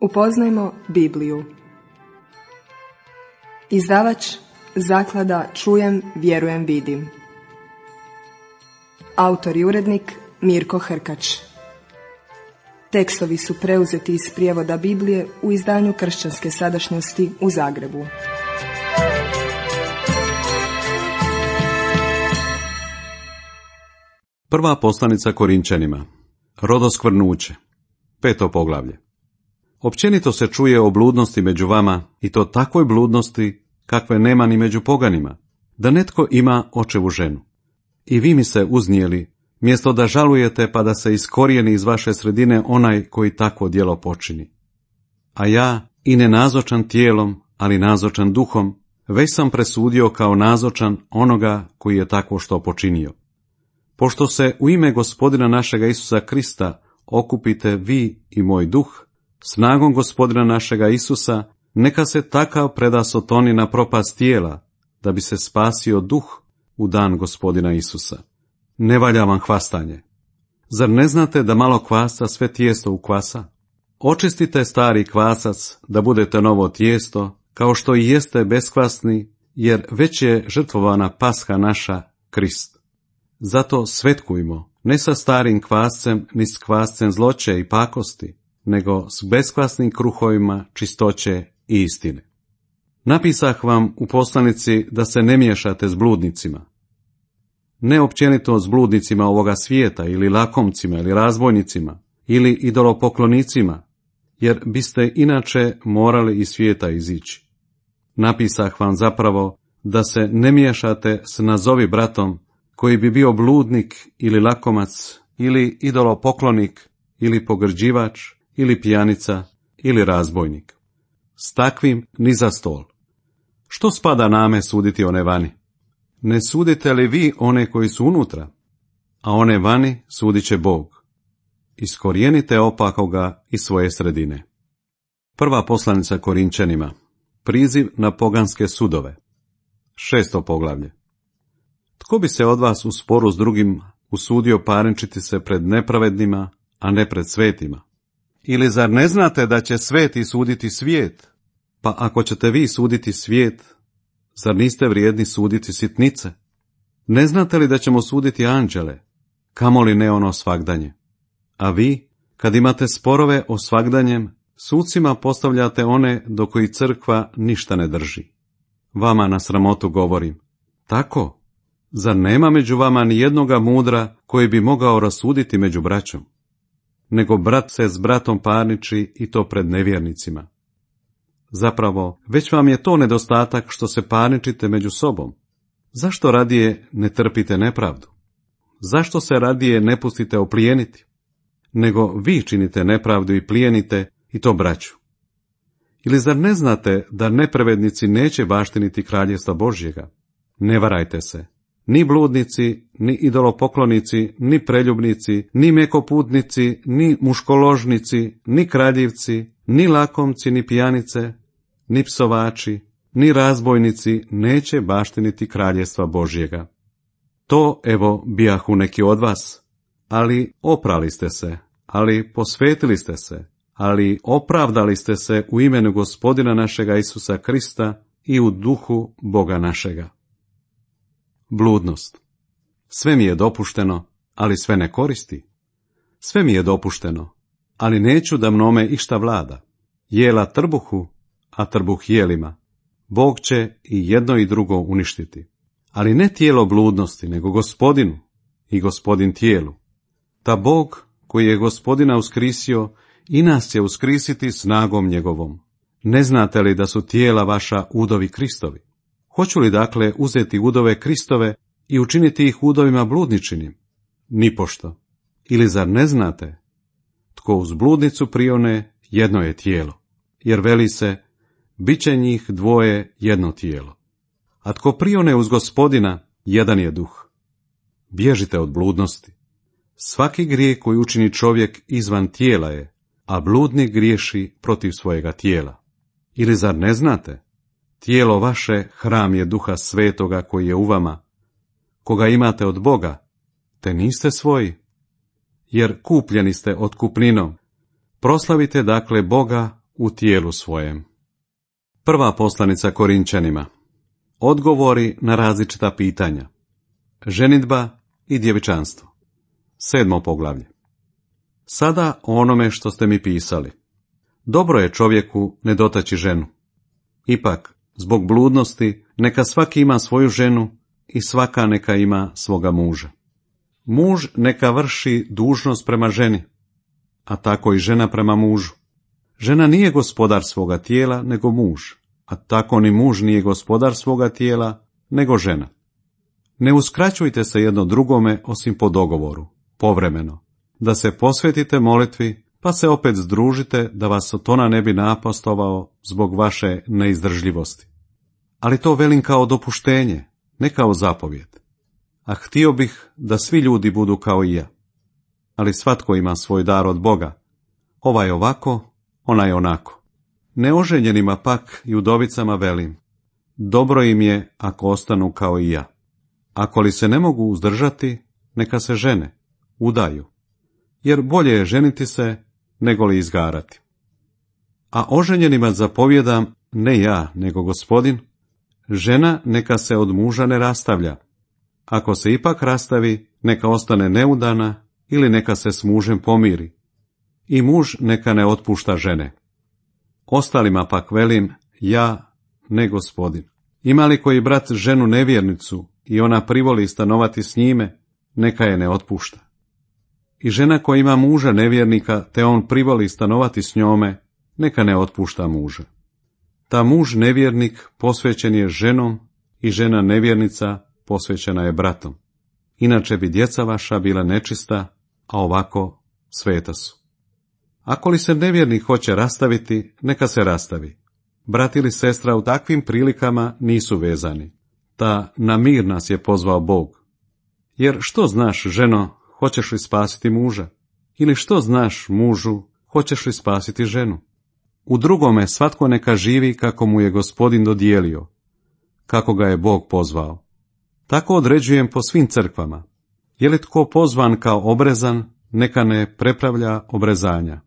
Upoznajmo Bibliju. Izdavač Zaklada Čujem, vjerujem, vidim. Autor i urednik Mirko Hrkač. Tekstovi su preuzeti iz prijevoda Biblije u izdanju Kršćanske sadašnjosti u Zagrebu. Prva poslanica Korinčanima. Rodoskvrnuće. 5. poglavlje. Općenito se čuje o bludnosti među vama, i to takvoj bludnosti kakve nema ni među poganima, da netko ima očevu ženu. I vi mi se uznijeli, mjesto da žalujete pa da se iskorijeni iz vaše sredine onaj koji takvo djelo počini. A ja, i ne nazočan tijelom, ali nazočan duhom, već sam presudio kao nazočan onoga koji je takvo što počinio. Pošto se u ime Gospodina našega Isusa Krista okupite vi i moj duh, snagom Gospodina našega Isusa, neka se takav preda Sotoni na propast tijela, da bi se spasio duh u dan Gospodina Isusa. Ne valja vam hvastanje. Zar ne znate da malo kvasca sve tijesto ukvasa? Očistite stari kvasac, da budete novo tijesto, kao što i jeste beskvasni, jer već je žrtvovana pasha naša, Krist. Zato svetkujmo, ne sa starim kvascem, ni s kvascem zloće i pakosti, nego s beskvasnim kruhovima čistoće i istine. Napisah vam u poslanici da se ne miješate s bludnicima. Ne općenito s bludnicima ovoga svijeta, ili lakomcima, ili razbojnicima, ili idolopoklonicima, jer biste inače morali iz svijeta izići. Napisah vam zapravo da se ne miješate s nazovi bratom, koji bi bio bludnik ili lakomac, ili idolopoklonik, ili pogrđivač, ili pijanica, ili razbojnik. S takvim ni za stol. Što spada name suditi one vani? Ne sudite li vi one koji su unutra? A one vani sudit će Bog. Iskorijenite opakoga iz svoje sredine. Prva poslanica Korinčanima. Priziv na poganske sudove. 6. poglavlje. Tko bi se od vas u sporu s drugim usudio parničiti se pred nepravednima, a ne pred svetima? Ili zar ne znate da će sveti suditi svijet? Pa ako ćete vi suditi svijet, zar niste vrijedni suditi sitnice? Ne znate li da ćemo suditi anđele, kamoli ne ono svagdanje? A vi, kad imate sporove o svagdanjem, sucima postavljate one do koji crkva ništa ne drži. Vama na sramotu govorim. Tako? Zar nema među vama ni jednoga mudra koji bi mogao rasuditi među braćom? Nego brat se s bratom parniči, i to pred nevjernicima. Zapravo, već vam je to nedostatak što se parničite među sobom. Zašto radije ne trpite nepravdu? Zašto se radije ne pustite oplijeniti? Nego vi činite nepravdu i plijenite, i to braću. Ili zar ne znate da nepravednici neće baštiniti kraljevstva Božjega? Ne varajte se. Ni bludnici, ni idolopoklonici, ni preljubnici, ni mekoputnici, ni muškoložnici, ni kradljivci, ni lakomci, ni pijanice, ni psovači, ni razbojnici neće baštiniti kraljevstva Božjega. To, evo, bijahu neki od vas, ali oprali ste se, ali posvetili ste se, ali opravdali ste se u imenu Gospodina našega Isusa Krista i u duhu Boga našega. Bludnost. Sve mi je dopušteno, ali sve ne koristi. Sve mi je dopušteno, ali neću da mnome išta vlada. Jela trbuhu, a trbuh jelima. Bog će i jedno i drugo uništiti. Ali ne tijelo bludnosti, nego Gospodinu i Gospodin tijelu. Ta Bog, koji je Gospodina uskrisio, i nas će uskrisiti snagom njegovom. Ne znate li da su tijela vaša udovi Kristovi? Hoću li dakle uzeti udove Kristove i učiniti ih udovima bludničinim? Nipošto. Ili zar ne znate? Tko uz bludnicu prione, jedno je tijelo. Jer veli se, bit će njih dvoje jedno tijelo. A tko prione uz Gospodina, jedan je duh. Bježite od bludnosti. Svaki grijeh koji učini čovjek izvan tijela je, a bludnik griješi protiv svojega tijela. Ili zar ne znate? Tijelo vaše hram je Duha Svetoga koji je u vama, koga imate od Boga, te niste svoji, jer kupljeni ste otkupninom. Proslavite dakle Boga u tijelu svojem. Prva poslanica Korinčanima. Odgovori na različita pitanja. Ženidba i djevičanstvo. 7. poglavlje. Sada o onome što ste mi pisali. Dobro je čovjeku ne dotaći ženu. Ipak, zbog bludnosti, neka svaki ima svoju ženu i svaka neka ima svoga muža. Muž neka vrši dužnost prema ženi, a tako i žena prema mužu. Žena nije gospodar svoga tijela, nego muž, a tako ni muž nije gospodar svoga tijela, nego žena. Ne uskraćujte se jedno drugome osim po dogovoru, povremeno, da se posvetite molitvi, pa se opet združite da vas Sotona ne bi napastovao zbog vaše neizdržljivosti. Ali to velim kao dopuštenje, ne kao zapovjed. A htio bih da svi ljudi budu kao i ja. Ali svatko ima svoj dar od Boga. Ovaj ovako, onaj onako. Neoženjenima pak i udovicama velim, dobro im je ako ostanu kao i ja. Ako li se ne mogu uzdržati, neka se žene, udaju. Jer bolje je ženiti se, nego li izgarati. A oženjenima zapovjedam, ne ja, nego Gospodin, žena neka se od muža ne rastavlja. Ako se ipak rastavi, neka ostane neudana ili neka se s mužem pomiri. I muž neka ne otpušta žene. Ostalima pak velim, ja, ne Gospodin. Ima li koji brat ženu nevjernicu i ona privoli stanovati s njime, neka je ne otpušta. I žena koja ima muža nevjernika, te on privoli stanovati s njome, neka ne otpušta muža. Ta muž nevjernik posvećen je ženom i žena nevjernica posvećena je bratom. Inače bi djeca vaša bila nečista, a ovako sveta su. Ako li se nevjernik hoće rastaviti, neka se rastavi. Brat ili sestra u takvim prilikama nisu vezani. Ta na mir nas je pozvao Bog. Jer što znaš, ženo, hoćeš li spasiti muža? Ili što znaš, mužu, hoćeš li spasiti ženu? U drugome svatko neka živi kako mu je Gospodin dodijelio, kako ga je Bog pozvao. Tako određujem po svim crkvama. Je li tko pozvan kao obrezan, neka ne prepravlja obrezanja.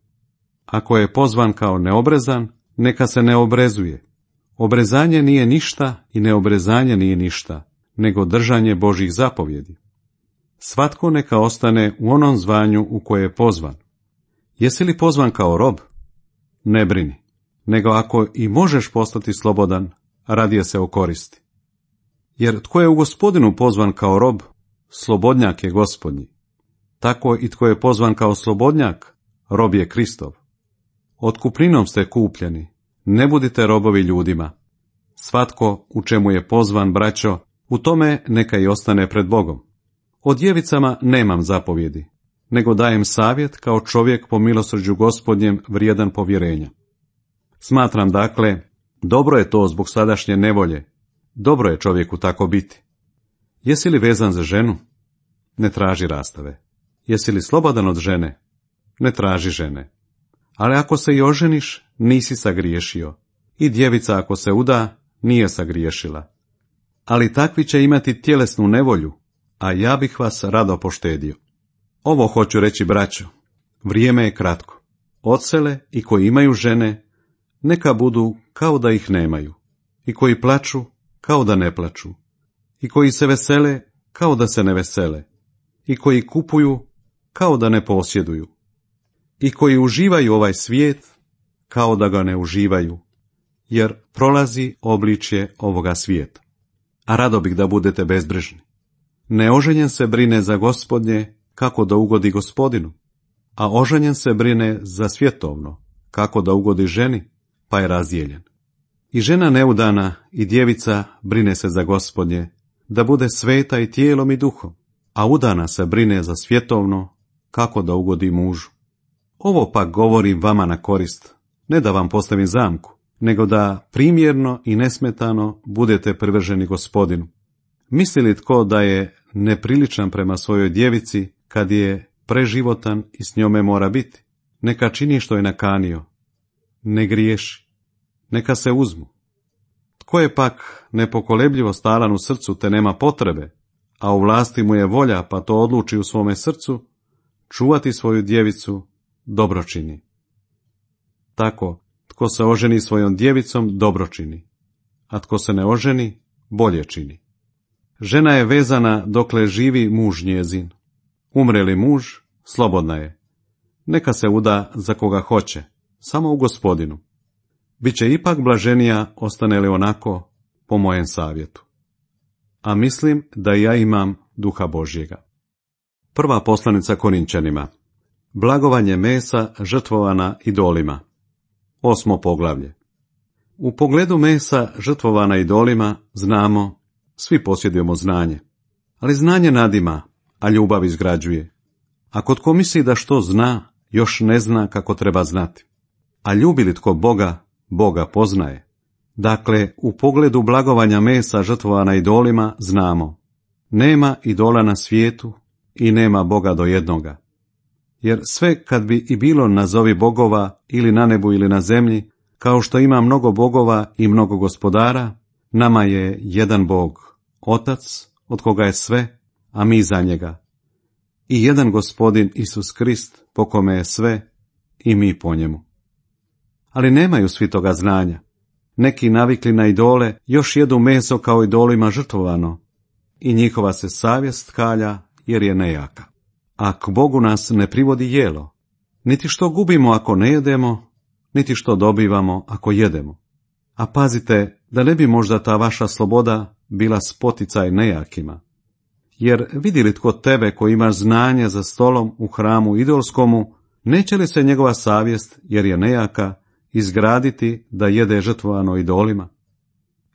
Ako je pozvan kao neobrezan, neka se ne obrezuje. Obrezanje nije ništa i neobrezanje nije ništa, nego držanje Božjih zapovjedi. Svatko neka ostane u onom zvanju u koje je pozvan. Jesi li pozvan kao rob? Ne brini, nego ako i možeš postati slobodan, radije se okoristi. Jer tko je u Gospodinu pozvan kao rob, slobodnjak je Gospodnji. Tako i tko je pozvan kao slobodnjak, rob je Kristov. Otkupninom ste kupljeni, ne budite robovi ljudima. Svatko u čemu je pozvan, braćo, u tome neka i ostane pred Bogom. O djevicama nemam zapovjedi, nego dajem savjet kao čovjek po milosrđu Gospodnjem vrijedan povjerenja. Smatram dakle, dobro je to zbog sadašnje nevolje, dobro je čovjeku tako biti. Jesi li vezan za ženu? Ne traži rastave. Jesi li slobodan od žene? Ne traži žene. Ali ako se i oženiš, nisi sagriješio. I djevica ako se uda, nije sagriješila. Ali takvi će imati tjelesnu nevolju, a ja bih vas rado poštedio. Ovo hoću reći, braćo, vrijeme je kratko. Odsele i koji imaju žene, neka budu kao da ih nemaju. I koji plaču, kao da ne plaču. I koji se vesele, kao da se ne vesele. I koji kupuju, kao da ne posjeduju. I koji uživaju ovaj svijet, kao da ga ne uživaju, jer prolazi obličje ovoga svijeta. A rado bih da budete bezbrižni. Neoženjen se brine za Gospodnje, kako da ugodi Gospodinu, a oženjen se brine za svjetovno, kako da ugodi ženi, pa je razdijeljen. I žena neudana i djevica brine se za Gospodnje, da bude sveta i tijelom i duhom, a udana se brine za svjetovno, kako da ugodi mužu. Ovo pak govorim vama na korist, ne da vam postavim zamku, nego da primjerno i nesmetano budete privrženi Gospodinu. Misli li tko da je nepriličan prema svojoj djevici kad je preživotan i s njome mora biti? Neka čini što je nakanio. Ne griješi. Neka se uzmu. Tko je pak nepokolebljivo stalan u srcu te nema potrebe, a u vlasti mu je volja pa to odluči u svome srcu, čuvati svoju djevicu dobro čini. Tako, tko Tko se oženi svojom djevicom, dobro čini, a tko se ne oženi, bolje čini. Žena je vezana dokle živi muž njezin. Umre li muž, slobodna je. Neka se uda za koga hoće, samo u Gospodinu. Biće ipak blaženija, ostane li onako, po mojem savjetu. A mislim da ja imam duha Božjega. Prva poslanica Korinčanima. Blagovanje mesa žrtvovana idolima. 8. poglavlje. U pogledu mesa žrtvovana idolima znamo, svi posjedujemo znanje. Ali znanje nadima, a ljubav izgrađuje. Ako tko misli da što zna, još ne zna kako treba znati. A ljubi li tko Boga, Boga poznaje. Dakle, u pogledu blagovanja mesa žrtvovana idolima znamo, nema idola na svijetu i nema Boga do jednoga. Jer sve kad bi i bilo nazovi bogova ili na nebu ili na zemlji, kao što ima mnogo bogova i mnogo gospodara, nama je jedan Bog, Otac, od koga je sve, a mi za njega. I jedan Gospodin Isus Krist, po kome je sve, i mi po njemu. Ali nemaju svi toga znanja. Neki navikli na idole još jedu meso kao idolima žrtvovano, i njihova se savjest kalja jer je nejaka. A k Bogu nas ne privodi jelo, niti što gubimo ako ne jedemo, niti što dobivamo ako jedemo. A pazite da ne bi možda ta vaša sloboda bila spoticaj nejakima. Jer vidi li tko tebe koji imaš znanje za stolom u hramu idolskomu, neće li se njegova savjest, jer je nejaka, izgraditi da jede žrtvovano idolima?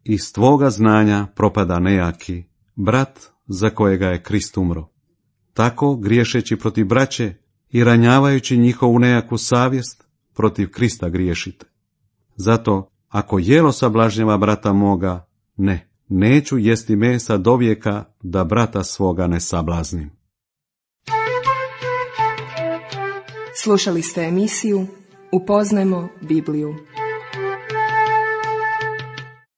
Iz tvoga znanja propada nejaki, brat za kojega je Krist umro. Tako, griješeći protiv braće i ranjavajući njihovu nejaku savjest, protiv Krista griješite. Zato, ako jelo sablažnjava brata moga, neću jesti mesa do vijeka da brata svoga ne sablaznim. Slušali ste emisiju Upoznajmo Bibliju.